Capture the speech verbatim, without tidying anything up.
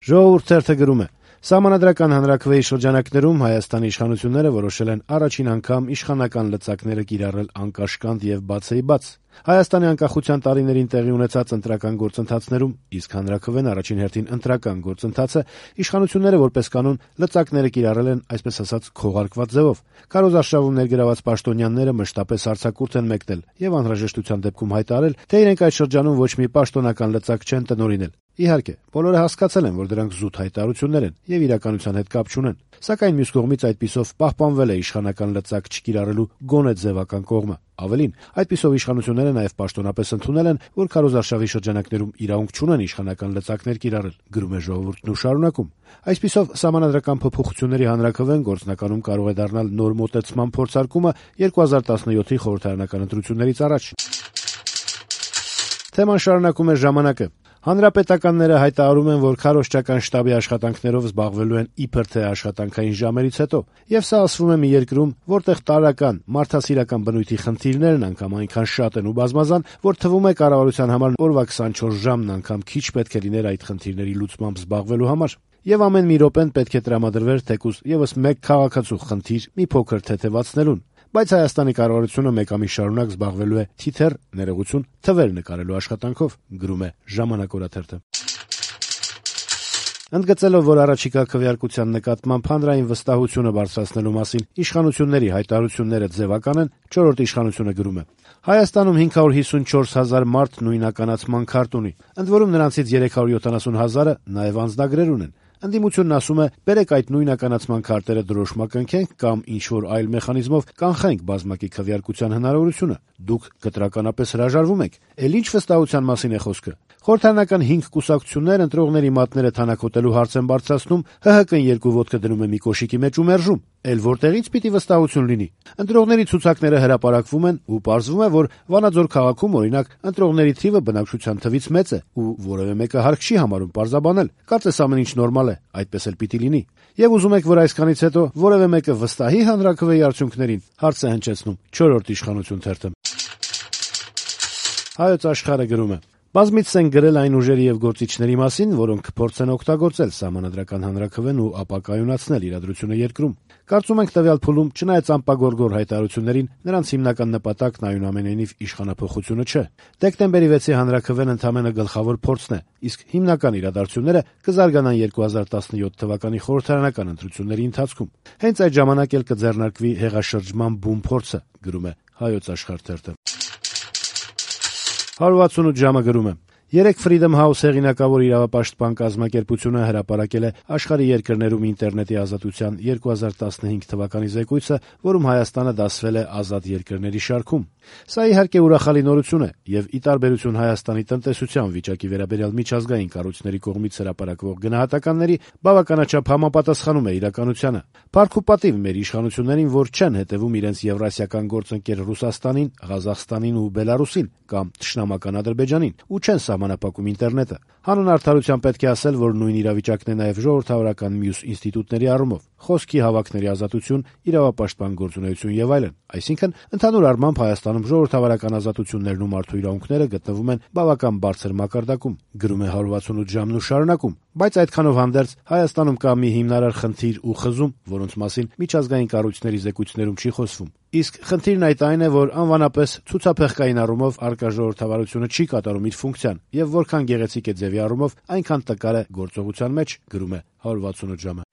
Ժողովուրդ թերթը գրում է. Սահմանադրական հանրաքվեի շրջանակներում Հայաստանի իշխանությունները որոշել են առաջին անգամ իշխանական լծակները կիրառել անկաշկանդ եւ բացեի բաց։ Հայաստանի անկախության տարիներին տեղի ունեցած ընտրական գործընթացներում, իսկ հանրաքվեն առաջին հերթին ընտրական գործընթաց է, իշխանությունները որպես կանոն լծակները կիրառել են այսպես ասած քողարկված ձևով։ Քարոզարշավում ներգրաված պաշտոնյաները մշտապես արձակուրդ են մեկնել եւ անհրաժեշտության դեպքում հայտարարել, թե իրենք այդ շրջանում ոչ մի պաշտոնական լծակ չեն տնօրինել։ Իհարկե, բոլորը հասկացել են, որ դրանք զուտ հայտարարություններ են եւ իրականության հետ կապ չունեն, սակայն մյուս կողմից այդպիսով պահպանվել է իշխանական լծակ չկիրառելու գոնե ձևական կողմը։ Ավելին, այդպիսով իշխանությունները նաեւ պաշտոնապես ընդունել են, որ քարոզարշավի շրջանակներում իրավունք չունեն իշխանական լծակներ կիրառել, գրում է Ժողովուրդն ու շարունակում. Այսպիսով սահմանադրական փոփոխությունների հանրաքվեն գործնականում կարող է դառնալ նոր մոտեցման փորձարկումը երկու հազար տասնյոթի խորհրդարանական ընտրություններից առաջ։ Թեման շարունակում է Ժամանակը. Հանրապետականները հայտարարում են, որ քարոզչական շտաբի աշխատանքներով զբաղվելու են իբր թե աշխատանքային ժամերից հետո, եւ սա ասվում է մի երկրում, որտեղ տարրական, մարդասիրական բնույթի խնդիրներն անգամ այնքան շատ են ու բազմազան, որ թվում է կառավարության համար օրվա քսանչորս ժամն անգամ քիչ պետք է լիներ այդ խնդիրների լուծմամբ զբաղվելու համար։ Եվ ամեն մի րոպեն պետք է տրամադրվեր թեկուզ եւս մեկ քաղաքացու խնդիր մի փոքր թեթեվացնելուն։ Բայց Հայաստանի կառավարությունը մեկ ամիս շարունակ զբաղվելու է թիթեռ, ներողություն, թվեր նկարելու աշխատանքով, գրում է Ժամանակ օրաթերթը։ Ընդգծելով, որ առաջիկա քվեարկության նկատմամբ հանրային վստահությունը բարձրացնելու մասին իշխանությունների հայտարարությունները ձևական են, չորրորդ իշխանությունը գրում է. Հայաստանում հինգ հարյուր հիսունչորս հազար մարդ նույնականացման քարտ ունի, ընդ որում նրանցից երեք հարյուր յոթանասուն հազարը նաև անձնագրեր ունեն։ Ընդդիմությունն ասում է, բերեք այդ նույնականացման քարտերը դրոշմակնքենք կամ ինչ-որ այլ մեխանիզմով կանխենք բազմակի քվեարկության հնարավորությունը։ Դուք կտրականապես հրաժարվում եք։ Էլ ինչ վստահության մասին է խոսքը։ Խորհրդարանական հինգ կուսակցություններ ընտրողների մատները թանաքոտելու հարց են բարձրացնում, ՀՀԿ-ն երկու ոտքը դնում է մի կոշիկի մեջ ու մերժում։ Էլ որտեղից պիտի վստահություն լինի։ Ընտրողների ցուցակները հրապարակվում են ու պարզվում է, որ Վանաձոր քաղաքում օրինակ ընտրողների թիվը բնակչության թվից մեծ է ու որևէ մեկը հարկ չի համարում պարզաբանել։ Կարծես ամեն ինչ նորմալ է, այդպես էլ պիտի լինի։ Եվ ուզում եք, որ այսքանից հետո որևէ մեկը վստահի հանրաքվեի արդյունքներին, հարց է հնչեցնում չորրորդ իշխանություն թերթը։ Հայոց Աշխարհը գրում է. Բազմիցս են գրել այն ուժերի եւ գործիչների մասին, որոնք կփորձեն օգտագործել սահմանադրական հանրաքվեն ու ապակայունացնել իրադրությունը երկրում։ Կարծում ենք տվյալ փուլում, չնայած անպագորգոր հայտարարություններին, նրանց հիմնական նպատակն այնուամենայնիվ իշխանափոխությունը չէ։ Դեկտեմբերի վեցի հանրաքվեն ընդամենը գլխավոր փորձն է, իսկ հիմնական իրադարձությունները կզարգանան երկու հազար տասնյոթ թվականի խորհրդարանական ընտրությունների ընթացքում։ Հենց այդ ժամանակ էլ կձեռնարկվի հեղաշրջման բուն փորձը, գրում է Հայոց Աշխարհ թերթը։ հարյուր վաթսունութ ժամը գրում է. Երեկ Freedom House հեղինակավոր իրավապաշտպան կազմակերպությունը հրապարակել է աշխարհի երկրներում ինտերնետի ազատության երկու հազար տասնհինգ թվականի զեկույցը, որում Հայաստանը դասվել է ազատ երկրների շարքում։ Սա իհարկե ուրախալի նորություն է եւ ի տարբերություն Հայաստանի տնտեսության վիճակի վերաբերյալ միջազգային կառույցների կողմից հրապարակվող գնահատականների բավականաչափ համապատասխանում է իրականությանը։ Փառք ու պատիվ մեր իշխանություններին, որ չեն հետևում իրենց եվրասիական գործընկեր Ռուսաստանին, Ղազախստանին ու Բելարուսին կամ թշնամական Ադրբեջանին ու չեն սահմանափակում ինտերնետը։ Հանուն արդարության պետք է ասել, որ նույն իրավիճակն է նաև ժողովրդավարական մյուս ինստիտուտների առումով՝ խոսքի հավաքների ազատություն, իրավապաշտպան գործունեություն եւ այլն։ Այսինքն, ընդհանուր առմամբ Հայաստանում ժողովրդավարական ազատություններն ու մարդու իրավունքները գտնվում են բավական բարձր մակարդակում, գրում է հարյուր վաթսունութ ժամն ու շարունակում։ Բայց այդքանով հանդերձ Հայաստանում կա մի հիմնարար խնդիր ու խզում, որոնց մասին միջազգային կառույցների զեկույցներում չի խոսվում։ Իսկ խնդիրն այդ այն է, որ անվանապես ցուցափեղկային առումով առկա ժողովրդավարությունը չի կատարում իր ֆունկցիան եւ որքան գեղեցիկ է ձևի առումով, այնքան տկար է գործողության մեջ, գրում է հարյուր վաթսունութ ժամը։